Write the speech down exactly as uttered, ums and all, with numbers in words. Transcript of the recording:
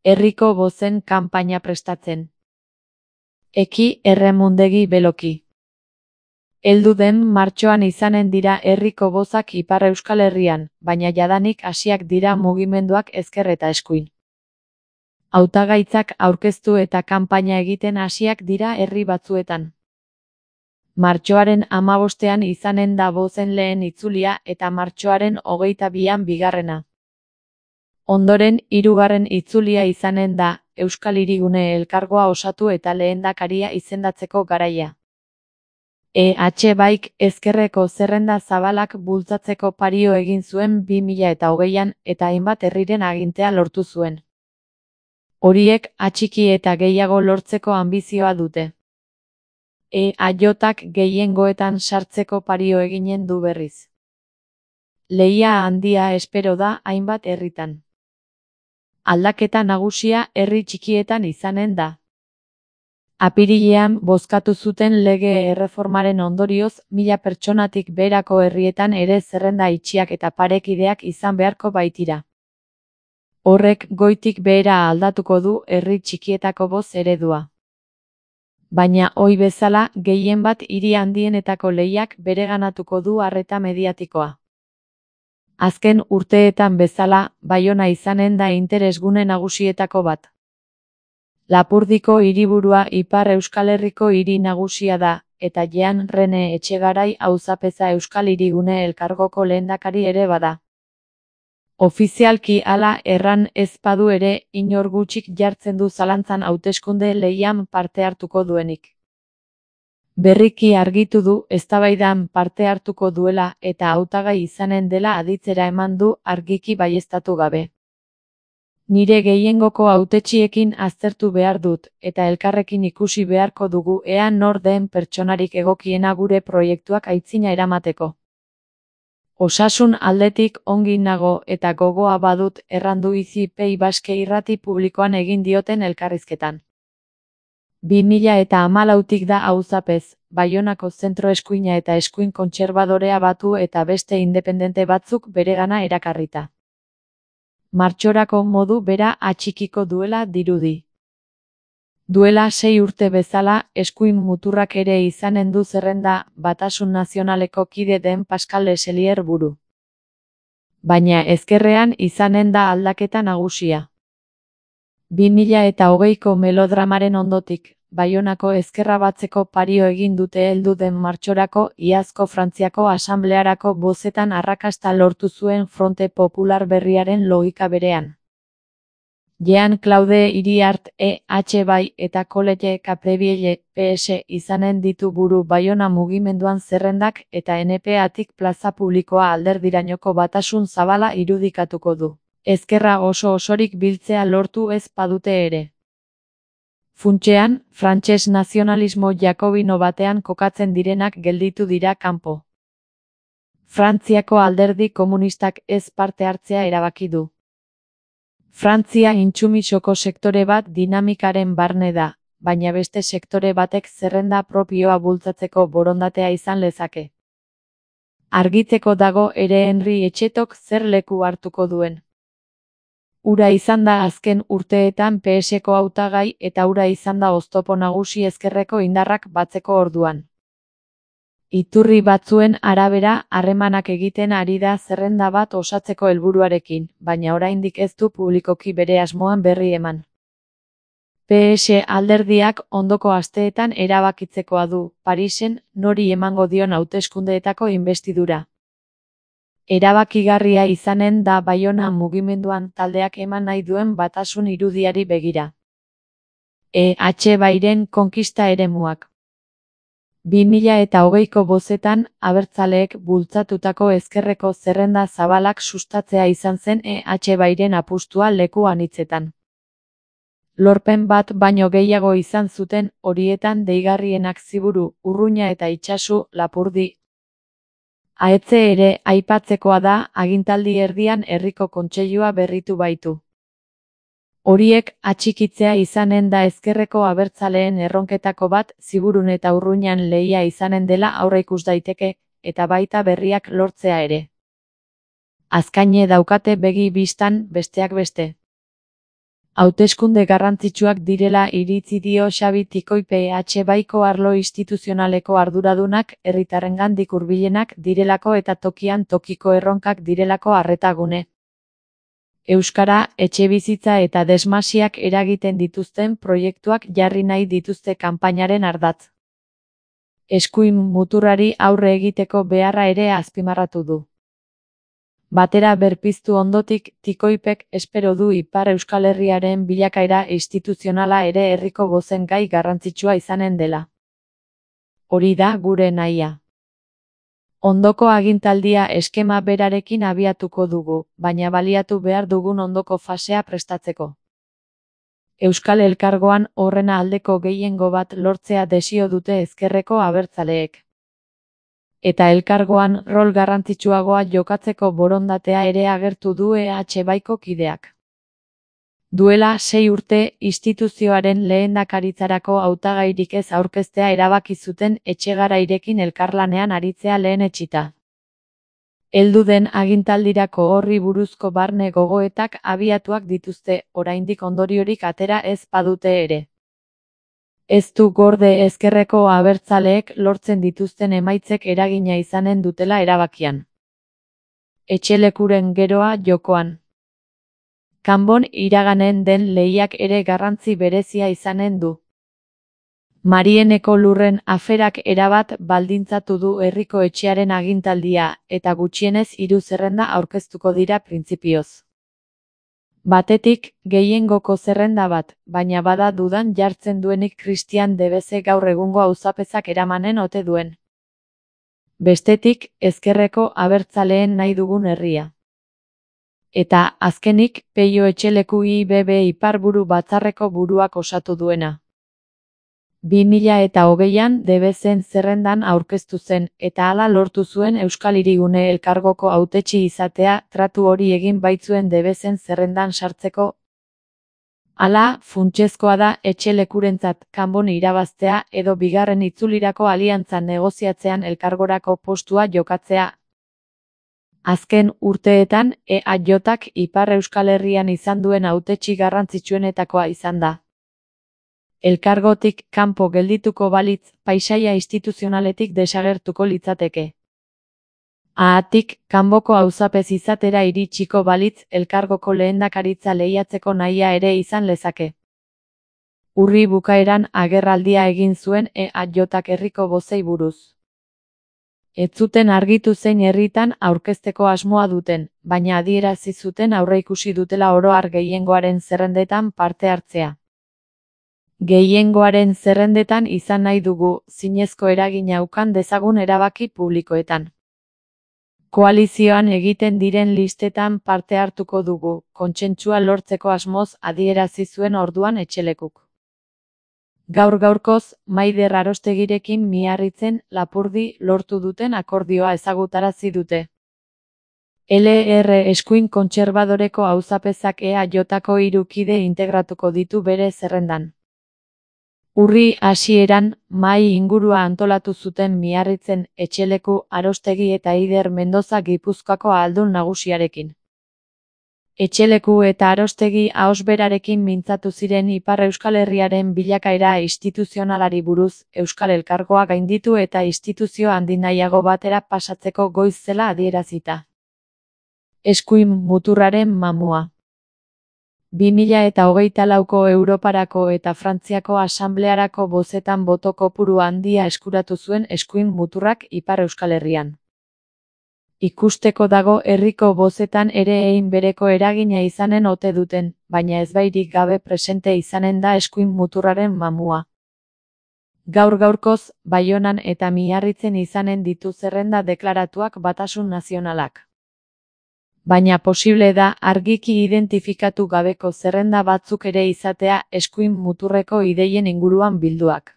Herriko bozen kanpaina prestatzen. Eki erremundegi beloki. Heldu den martxoan izanen dira herriko bozak Ipar Euskal Herrian, baina jadanik hasiak dira mugimenduak ezker eta eskuin. Hautagaitzak aurkeztu eta kanpaina egiten hasiak dira herri batzuetan. Martxoaren hamabostean izanen da bozen lehen itzulia eta martxoaren hogeita bian bigarrena. Ondoren hirugarren itzulia izanen da, Euskal Hirigune Elkargoa osatu eta lehendakaria izendatzeko garaia. E H baik ezkerreko zerrenda zabalak bultzatzeko pario egin zuen bi mila eta hogeian eta hainbat herriren agintea lortu zuen. Horiek atxiki eta gehiago lortzeko anbizioa dute. E H-ak gehiengoetan sartzeko pario eginen du berriz. Lehia handia espero da hainbat herritan. Aldaketa nagusia herri txikietan izanen da. Apirilean bozkatu zuten lege erreformaren ondorioz mila pertsonatik beherako herrietan ere zerrenda itxiak eta parekideak izan beharko baitira. Horrek goitik behera aldatuko du herri txikietako boz eredua. Baina ohi bezala gehien bat hiri handienetako lehiak bereganatuko du arreta mediatikoa. Azken urteetan bezala, Baiona izanen da interesgune nagusietako bat. Lapurdiko hiriburua Ipar Euskal Herriko hiri nagusia da, eta Jean Rene Etxegarai auzapeza Euskal Hirigune Elkargoko lehendakari ere bada. Ofizialki hala erran ez badu ere, inor gutxik jartzen du zalantzan hauteskunde lehian parte hartuko duenik. Berriki argitu du eztabaidan parte hartuko duela eta hautagai izanen dela aditzera eman du argiki baieztatu gabe. Nire gehiengoko hautetxiekin aztertu behar dut, eta elkarrekin ikusi beharko dugu ea nor den pertsonarik egokiena gure proiektuak aitzina eramateko. Osasun aldetik ongi nago eta gogoa badut errandu Izi Pei Baske irrati publikoan egin dioten elkarrizketan. bi mila eta hamalautik da auzapez, Baionako zentro eskuina eta eskuin kontserbadorea batu eta beste independente batzuk beregana erakarrita. Martxorako modu bera atxikiko duela dirudi. Duela sei urte bezala, eskuin muturrak ere izanen du zerrenda Batasun Nazionaleko kide den Pascal Leselier buru. Baina ezkerrean izanen da aldaketa nagusia. bi mila eta hogeiko melodramaren ondotik, Baionako ezkerra batzeko pario egin dute heldu den martxorako iazko Frantziako asamblearako bozetan arrakasta lortu zuen Fronte Popular berriaren logika berean. Jean-Claude Iriart E H bai eta Colette Caprevielle P S izanen ditu buru Baiona mugimenduan zerrendak eta N P atik plaza publikoa alderdirainoko batasun zabala irudikatuko du. Ezkerra oso osorik biltzea lortu ez badute ere. Funtsean, frantses nazionalismo jakobino batean kokatzen direnak gelditu dira kanpo. Frantziako alderdi komunistak ez parte hartzea erabaki du. Frantzia intsumisoko sektore bat dinamikaren barne da, baina beste sektore batek zerrenda propioa bultzatzeko borondatea izan lezake. Argitzeko dago ere Henri Etxetok zer leku hartuko duen. Ura izan da azken urteetan P Seko hautagai eta ura izan da oztopo nagusi ezkerreko indarrak batzeko orduan. Iturri batzuen arabera harremanak egiten ari da zerrenda bat osatzeko helburuarekin, baina oraindik ez du publikoki bere asmoan berri eman. P S alderdiak ondoko asteetan erabakitzekoa du, Parisen, nori emango dion hauteskundeetako inbestidura. Erabakigarria izanen da Baiona mugimenduan taldeak eman nahi duen batasun irudiari begira. E H bairen konkista eremuak. bi mila eta hogeiko bozetan, abertzaleek bultzatutako ezkerreko zerrenda zabalak sustatzea izan zen E H bairen apustua leku anitzetan. Lorpen bat baino gehiago izan zuten, horietan deigarrienak Ziburu, Urruña eta Itsasu, Lapurdi. Ahetze ere aipatzekoa da agintaldi erdian herriko kontseilua berritu baitu. Horiek atxikitzea izanen da ezkerreko abertzaleen erronketako bat Ziburun eta Urruñan lehia izanen dela aurreikus daiteke, eta baita berriak lortzea ere. Azkaine daukate begi bistan besteak beste. Hauteskunde garrantzitsuak direla iritzi dio Xabi Tikoipe H baiko arlo instituzionaleko arduradunak herritarrengandik hurbilenak direlako eta tokian tokiko erronkak direlako arretagune. Euskara, etxebizitza eta desmasiak eragiten dituzten proiektuak jarri nahi dituzte kanpainaren ardatz. Eskuin muturrari aurre egiteko beharra ere azpimarratu du. Batera berpiztu ondotik, Tikoipek espero du Ipar Euskal Herriaren bilakaera instituzionala ere herriko bozen gai garrantzitsua izanen dela. Hori da gure nahia. Ondoko agintaldia eskema berarekin abiatuko dugu, baina baliatu behar dugun ondoko fasea prestatzeko. Euskal Elkargoan horrena aldeko gehiengo bat lortzea desio dute ezkerreko abertzaleek. Eta elkargoan rol garrantzitsuagoa jokatzeko borondatea ere agertu du E H baiko kideak. Duela sei urte instituzioaren lehendakaritzarako hautagairik ez aurkeztea erabaki zuten Etxegarairekin elkarlanean aritzea lehenetsita. Heldu den agintaldirako horri buruzko barne gogoetak abiatuak dituzte, oraindik ondoriorik atera ez badute ere. Ez du gorde ezkerreko abertzaleek lortzen dituzten emaitzek eragina izanen dutela erabakian. Etxelekuren geroa jokoan. Kanbon iraganen den lehiak ere garrantzi berezia izanen du. Marieneko lurren aferak erabat baldintzatu du herriko etxearen agintaldia, eta gutxienez hiru zerrenda aurkeztuko dira printzipioz. Batetik, gehiengoko zerrenda bat, baina bada dudan jartzen duenik Christian Debeze gaur egungo auzapezak eramanen ote duen. Bestetik, ezkerreko abertzaleen nahi dugun herria. Eta, azkenik, Peio Etxeleku I B B Iparburu Batzarreko buruak osatu duena. bi mila eta hogeian Debezen zerrendan aurkeztu zen, eta hala lortu zuen Euskal Hirigune Elkargoko hautetsi izatea, tratu hori egin baitzuen Debezen zerrendan sartzeko. Hala, funtsezkoa da Etxelekurentzat kanbon irabaztea edo bigarren itzulirako aliantza negoziatzean elkargorako postua jokatzea. Azken urteetan, E A Jak Ipar Euskal Herrian izan duen hautetsi garrantzitsuenetakoa izan da. Elkargotik kanpo geldituko balitz, paisaia instituzionaletik desagertuko litzateke. Haatik, kanboko auzapez izatera iritsiko balitz, elkargoko lehendakaritza lehiatzeko nahia ere izan lezake. Urri bukaeran agerraldia egin zuen E A Jak herriko bozei buruz. Ez zuten argitu zein herritan aurkezteko asmoa duten, baina adierazi zuten aurreikusi dutela oro har gehiengoaren zerrendetan parte hartzea. Gehiengoaren zerrendetan izan nahi dugu, zinezko eragina ukan dezagun erabaki publikoetan. Koalizioan egiten diren listetan parte hartuko dugu, kontsentsua lortzeko asmoz adierazi zuen orduan Etxelekuk. Gaur gaurkoz, Maider Arostegirekin Miarritzen, Lapurdi lortu duten akordioa ezagutarazi dute. L R eskuin kontserbadoreko auzapezak E A Jko hiru kide integratuko ditu bere zerrendan. Urri hasieran, mahai ingurua antolatu zuten Miarritzen, Etxeleku, Arostegi eta Eider Mendoza Gipuzkoako ahaldun nagusiarekin. Etxeleku eta Arostegi ahosberarekin mintzatu ziren Ipar Euskal Herriaren bilakaera instituzionalari buruz, Euskal Elkargoa gainditu eta instituzio handi nahiago batera pasatzeko goiz zela adierazita. Eskuin muturraren mamua. bi mila eta hogeita lauko Europarako eta Frantziako Asamblearako bozetan boto kopuru handia eskuratu zuen eskuin muturrak Ipar Euskal Herrian. Ikusteko dago herriko bozetan ere egin bereko eragina izanen ote duten, baina ezbairik gabe presente izanen da eskuin muturraren mamua. Gaur gaurkoz, Baionan eta Miarritzen izanen ditu zerrenda deklaratuak Batasun Nazionalak. Baina posible da argiki identifikatu gabeko zerrenda batzuk ere izatea eskuin muturreko ideien inguruan bilduak.